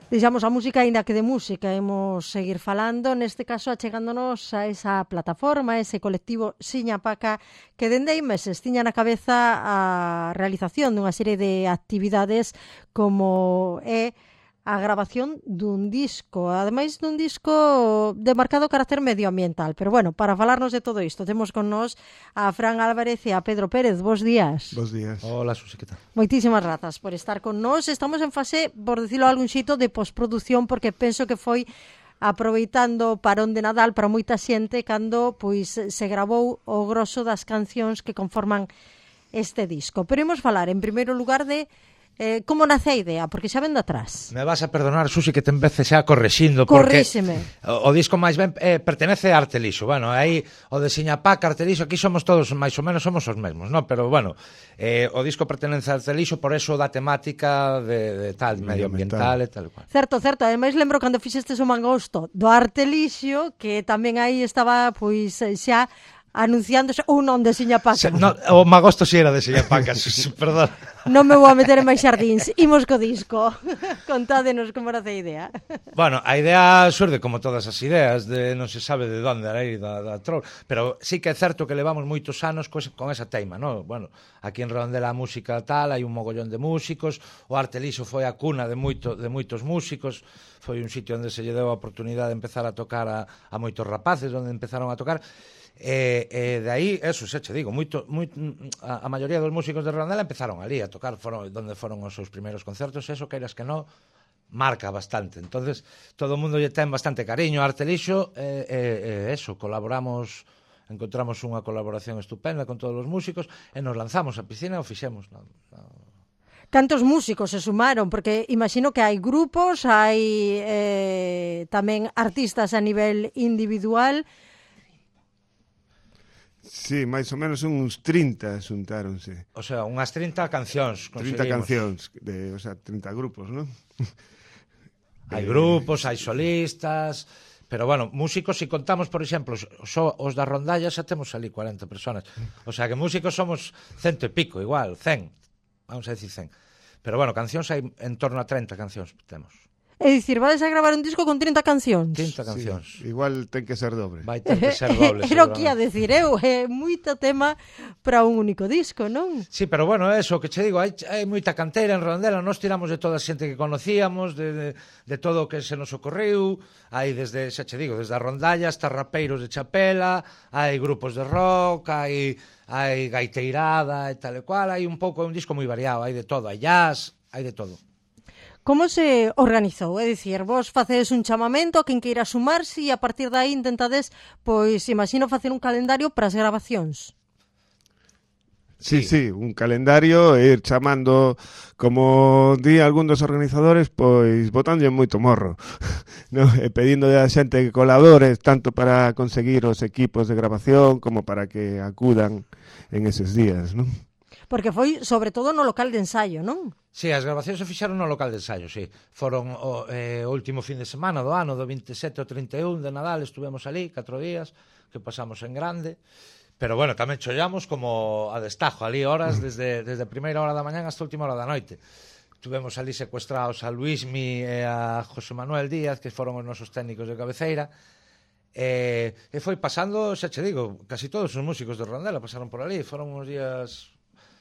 Deixamos a música, aínda que de música imos seguir falando, neste caso achegándonos a esa plataforma, a ese colectivo Siñapaca, que dende hai meses tiña na cabeza a realización dunha serie de actividades como é a grabación dun disco, ademais dun disco de marcado carácter medioambiental. Pero bueno, para falarnos de todo isto, temos con nós a Fran Álvarez e a Pedro Pérez. Bos días. Bos días. Hola, Susi, que tal? Moitísimas grazas por estar con nós. Estamos en fase, por decirlo de algún xeito, de postproducción, porque penso que foi aproveitando o parón de Nadal para moita xente cando pois se gravou o grosso das cancións que conforman este disco. Pero imos falar, en primeiro lugar, de como nace a idea, porque xa ven de atrás. Me vas a perdonar, Susi, que te empece xa correxindo, porque o disco máis ben pertenece a Arte Lixo. Bueno, aí o de Siñapaca, Arte Lixo, aquí somos todos, máis ou menos somos os mesmos, ¿no? Pero bueno, o disco pertenece a Arte Lixo, por eso da temática de tal, medioambiental e tal cual. Certo, ademais lembro cando fixestes o mangosto do Arte Lixo, que tamén aí estaba, pois, xa anunciándose ou non de Siñapaca. No, o magosto si era de Siñapaca, perdón. Non me vou a meter en máis xardíns. Imos co disco. Contádenos como era a idea. Bueno, a idea surde como todas as ideas, de non se sabe de onde aí da troll, pero sí que é certo que levamos moitos anos con esa teima, ¿no? Bueno, aquí en Redondela a música tal, hai un mogollón de músicos, o Arte Lixo foi a cuna de moitos músicos, foi un sitio onde se lle deu a oportunidade de empezar a tocar a moitos rapaces, onde empezaron a tocar. De aí, eso, xa che digo, a maioría dos músicos de Redondela empezaron ali a tocar, onde foron os seus primeiros concertos, eso, queiras que non, marca bastante. Entonces, todo o mundo lle ten bastante cariño a Arte Lixo, eso, encontramos unha colaboración estupenda con todos os músicos, e nos lanzamos a piscina e o fixemos. Cantos músicos se sumaron? Porque imagino que hai grupos, hai tamén artistas a nivel individual. Sí, máis ou menos uns 30 xuntáronse. O sea, unhas 30 cancións 30 cancións, o sea, 30 grupos, non? Hai grupos, hai solistas, pero bueno, músicos, se contamos, por exemplo, os da rondalla xa temos ali 40 personas. O sea, que músicos somos 100 e pico, igual, 100, vamos a decir 100. Pero bueno, cancións hai en torno a 30 cancións temos. É dicir, vades a gravar un disco con 30 cancións? 30 cancións. Sí, igual ten que ser dobre. Vai ter que ser doble. Era o que ia decir eu, é moito tema para un único disco, non? Sí, pero bueno, eso que che digo, hai moita canteira en Redondela, nós tiramos de toda a xente que conocíamos, de todo o que se nos ocorreu, hai desde, xa che digo, desde a rondalla hasta rapeiros de chapela, hai grupos de rock, hai gaiteirada e tal e cual, hai un pouco, un disco moi variado, hai de todo, hai jazz, hai de todo. Como se organizou? É dicir, vos facedes un chamamento a quen queira sumarse e a partir de aí intentades, pois, imagino, facer un calendario para as grabacións. Sí, un calendario e ir chamando, como di algún dos organizadores, pois botándolle moito morro, no? E pedindo a xente que colabore tanto para conseguir os equipos de grabación como para que acudan en eses días, non? Porque foi, sobre todo, no local de ensaio, non? Sí, as grabacións se fixaron no local de ensaio, sí. Foron o último fin de semana do ano, do 27 ao 31 de Nadal, estuvemos ali 4 días, que pasamos en grande. Pero bueno, tamén chollamos como a destajo, ali horas, desde a primeira hora da mañán hasta a última hora da noite. Tuvemos ali secuestrados a Luismi e a José Manuel Díaz, que foron os nosos técnicos de cabeceira, e foi pasando, xa che digo, casi todos os músicos de Redondela pasaron por ali, foron uns días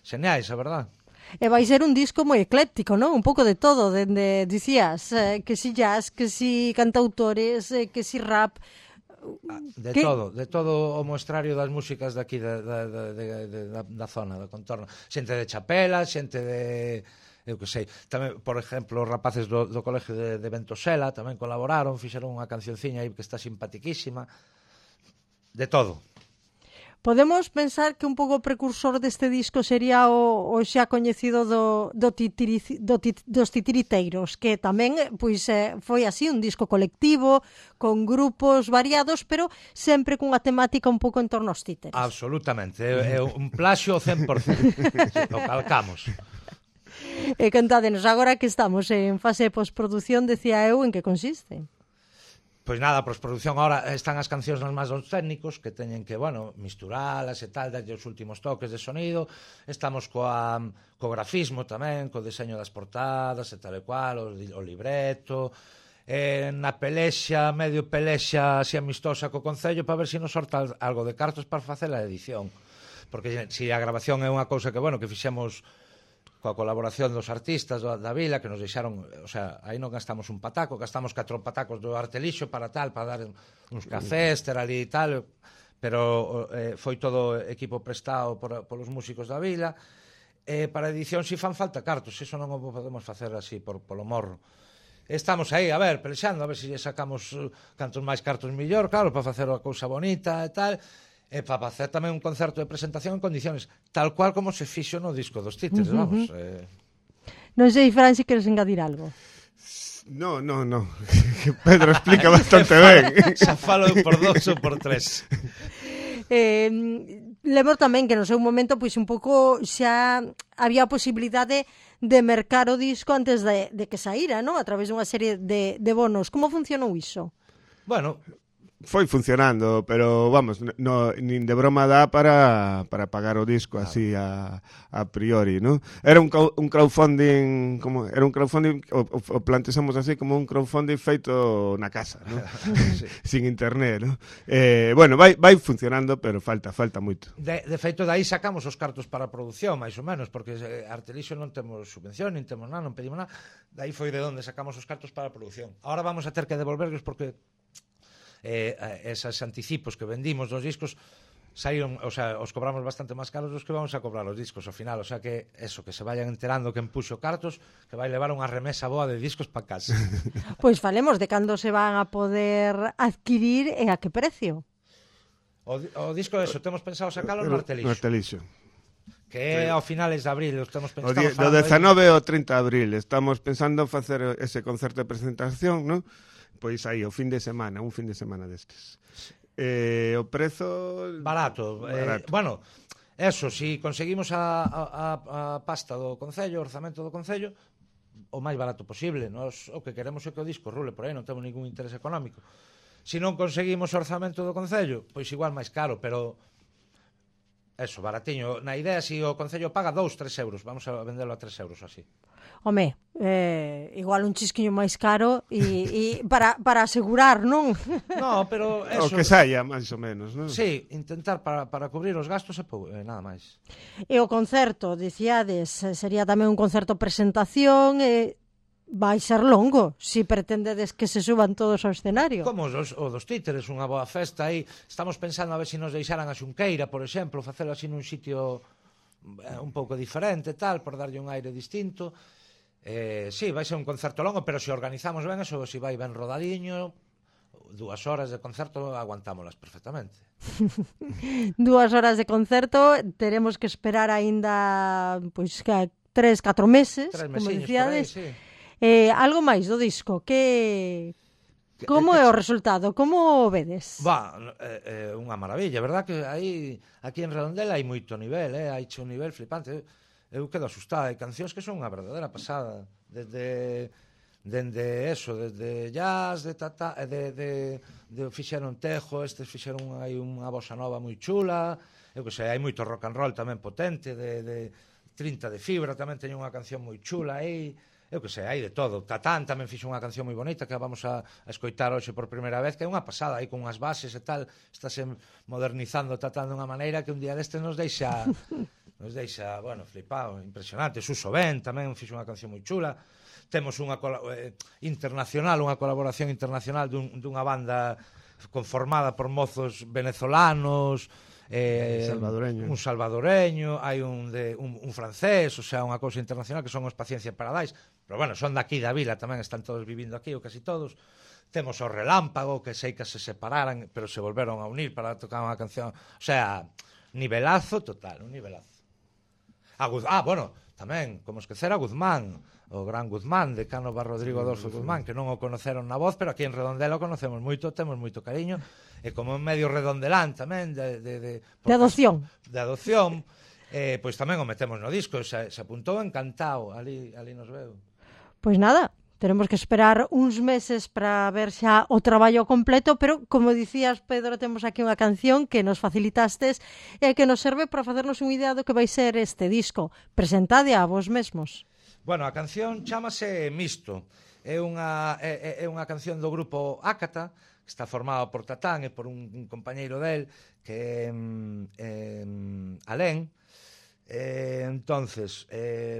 xeñais, a verdad. E vai ser un disco moi ecléctico, non? Un pouco de todo, dende, dicías, que si jazz, que si cantautores, que si rap. De todo o moestrario das músicas daqui da zona, do contorno. Xente de chapela, xente de... eu que sei, tamén, por exemplo, os rapaces do colegio de Ventosela tamén colaboraron, fixeron unha cancionciña aí que está simpatiquísima. De todo. Podemos pensar que un pouco precursor deste disco sería o xa coñecido dos titiriteiros, que tamén pois foi así un disco colectivo, con grupos variados, pero sempre cunha temática un pouco en torno aos títeres. Absolutamente, é un plaxio 100%, o calcamos. E contádenos, agora que estamos en fase de postproducción, decía eu, en que consiste? Pois nada, a postproducción ahora están as cancións nas máis dos técnicos que teñen que, bueno, misturalas e tal, darlle os últimos toques de sonido. Estamos co grafismo tamén, co deseño das portadas e tal e cual, o libreto, na pelexa, medio pelexa así amistosa co Concello para ver se nos sorta algo de cartos para facer a edición. Porque se a grabación é unha cousa que, bueno, que fixemos coa colaboración dos artistas da vila, que nos deixaron, o sea, aí non gastamos un pataco, gastamos 4 patacos do Artelixo para tal, para dar uns cafés, ter ali e tal, pero foi todo equipo prestado polos músicos da vila. Para edición si fan falta cartos, iso non o podemos facer así polo morro. Estamos aí, a ver, pelexando, a ver se sacamos cantos máis cartos mellor, claro, para facer a cousa bonita e tal, e para facer tamén un concerto de presentación en condiciones tal cual como se fixo no disco dos títeres, vamos. Non sei, Fran, se queres engadir algo. No. Pedro explica bastante ben. Xa falo por 2 ou por 3. Lembro tamén que no seu momento pois un pouco xa había a posibilidade de mercar o disco antes de que saíra, non? A través dunha serie de bonos. Como funcionou iso? Bueno, foi funcionando, pero vamos, nin de broma dá para pagar o disco así a priori, ¿no? Era un crowdfunding, era un crowdfunding, o plantexamos así como un crowdfunding feito na casa, ¿no? Sí. Sin internet, ¿no? Bueno, vai funcionando, pero falta moito. De feito, daí sacamos os cartos para a produción, máis ou menos, porque Artelixo non temos subvención, nin temos nada, non pedimos nada. Daí foi de onde sacamos os cartos para a produción. Ahora vamos a ter que devolverlos porque esos anticipos que vendimos dos discos saíron, o sea, os cobramos bastante máis caros dos que vamos a cobrar os discos ao final, o sea que eso, que se vayan enterando que empuxo cartos, que vai levar unha remesa boa de discos para casa. Pois falemos de cando se van a poder adquirir e a que precio. O disco eso, temos pensado sacalo no Artelixo. No Artelixo. Que é ao finales de abril, estamos pensando do 19 ao 30 de abril, estamos pensando facer ese concerto de presentación, ¿no? Pois aí, un fin de semana destes. O prezo... Barato. Bueno, eso, si conseguimos a pasta do Concello, o orzamento do Concello, o máis barato posible. Nos, o que queremos é que o disco rule por aí, non temos ningún interés económico. Si non conseguimos o orzamento do Concello, pois igual máis caro, pero... Eso, baratiño. Na idea, se o Concello paga 2-3 euros, vamos a vendelo a 3 euros así. Home, igual un chisquiño máis caro e para asegurar, non? No, pero eso... O que saia, máis ou menos, non? Sí, intentar para cubrir os gastos e nada máis. E o concerto, dicíades, sería tamén un concerto presentación vai ser longo, se pretendedes que se suban todos ao escenario. Como o dos títeres, unha boa festa aí. Estamos pensando a ver se nos deixaran a Xunqueira, por exemplo, facelo así nun sitio un pouco diferente, tal, por darlle un aire distinto. Sí, vai ser un concerto longo, pero se organizamos ben, eso, se vai ben rodadiño, 2 horas de concerto aguantámolas perfectamente. 2 horas de concerto, teremos que esperar aínda pois 3-4 meses, como dicíades. Aí, sí. Algo máis do disco, como é o resultado? Como o vedes? Unha maravilla, verdad que aquí en Redondela hai moito nivel, hai un nivel flipante. Eu quedo asustado, hai cancións que son unha verdadeira pasada, desde jazz, de fixeron tejo, estes fixeron aí unha bossa nova moi chula, eu que sei, hai moito rock and roll tamén potente, de 30 de fibra, tamén teño unha canción moi chula aí. Eu que sei, hai de todo. Tatán tamén fixo unha canción moi bonita que vamos a escoitar hoxe por primeira vez, que é unha pasada, aí con unhas bases e tal, estáse modernizando Tatán dunha maneira que un día deste nos deixa, bueno, flipado, impresionante. Suso Ben tamén fixo unha canción moi chula. Temos unha internacional, unha colaboración internacional dunha banda conformada por mozos venezolanos, un salvadoreño, hai un francés, o sea, unha cousa internacional que son os Paciencia Paradise, pero bueno, son daqui da vila, tamén están todos vivindo aquí, ou casi todos. Temos o Relámpago, que sei que se separaran, pero se volveron a unir para tocar unha canción, o sea, nivelazo total, un nivelazo. Bueno, tamén, como esquecer a Guzmán, o gran Guzmán, decano Rodrigo Adolfo Guzmán, que non o conoceron na voz, pero aquí en Redondela o conocemos moito, temos moito cariño, e como en medio redondelán tamén, de adopción. De adopción, pois tamén o metemos no disco, se apuntou encantado, ali nos veo. Pois nada, Teremos que esperar uns meses para ver xa o traballo completo, pero, como dicías, Pedro, temos aquí unha canción que nos facilitastes e que nos serve para facernos unha idea do que vai ser este disco. Presentade a vos mesmos. Bueno, a canción chámase Misto. É unha canción do grupo Ácata, que está formado por Tatán e por un compañeiro del, que é Alén. Entonces,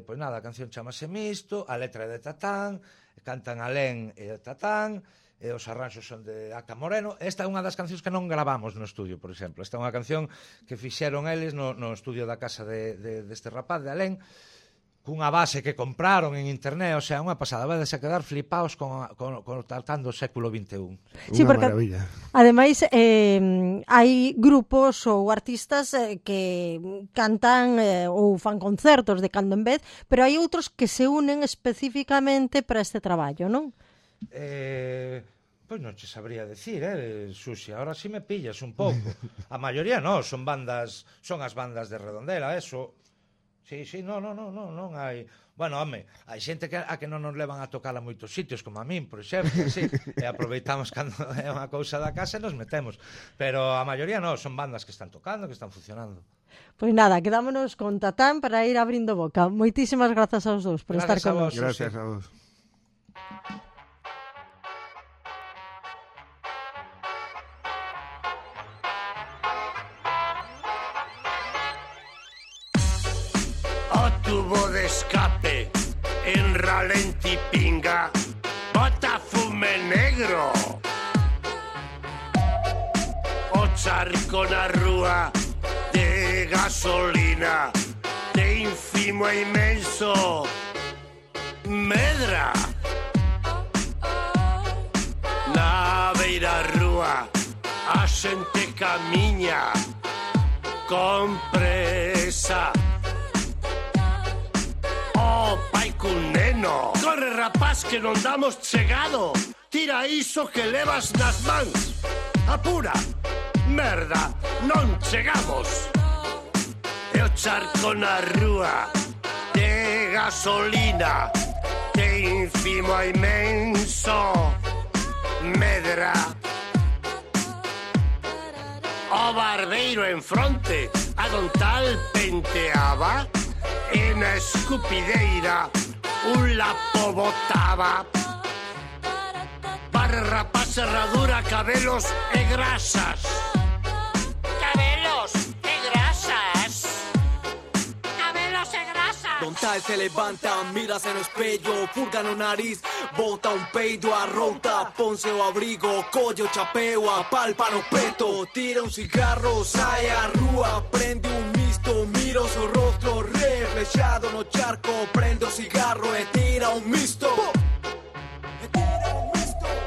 pois nada, a canción chamase Misto, a letra é de Tatán, cantan Alén e Tatán, e os arranxos son de Aca Moreno. Esta é unha das cancións que non gravamos no estudio, por exemplo. Esta é unha canción que fixeron eles no estudio da casa deste rapaz, de Alén, cunha base que compraron en internet, o sea, unha pasada, vedes a quedar flipaos con Tatán do século XXI. Sí, porque, maravilla. Ademais, hai grupos ou artistas que cantan ou fan concertos de cando en vez, pero hai outros que se unen especificamente para este traballo, non? Pois non che sabría decir, Susi, ahora si me pillas un pouco. A maioría non, son as bandas de Redondela, eso. Sí, non hai... Bueno, home, hai xente a que non nos levan a tocar a moitos sitios, como a min, por exemplo, así, e aproveitamos cando é unha cousa da casa e nos metemos. Pero a maioría non, son bandas que están tocando, que están funcionando. Pois nada, quedámonos con Tatán para ir abrindo boca. Moitísimas grazas aos dous por estar con nós. Gracias a vos. Tubo de escape en ralenti pinga, bota fume negro, o charco na rúa de gasolina, de ínfimo e inmenso medra. Na beira rúa a xente camiña con presa. Oh, pai cun neno, corre rapaz que non damos chegado, tira iso que levas nas mans, apura, merda, non chegamos. E o charco na rúa de gasolina, de ínfimo a inmenso medra. O barbeiro en fronte, a don tal penteaba, e na escupideira un lapo botaba. Para rapaz, herradura, cabelos e grasas. Cabelos e grasas. Cabelos e grasas. Don tal se levanta, mírase no espello, furga no nariz, bota un peido, arrota, ponse o abrigo, collo, chapeo, apalpa no peto, tira un cigarro, sai a rúa, prende un misto, mira o seu rostro reflexado no charco, prende o cigarro e tira un misto.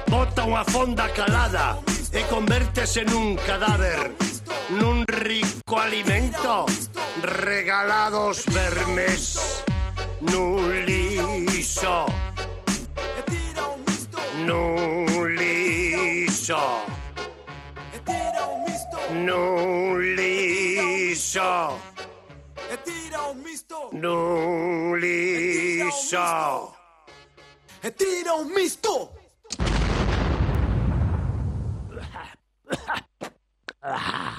Bota unha fonda calada e convértese nun cadáver, nun rico alimento, regalados vermes, nun liso, nun liso, nun liso, nun liso. E tira un misto. Ah.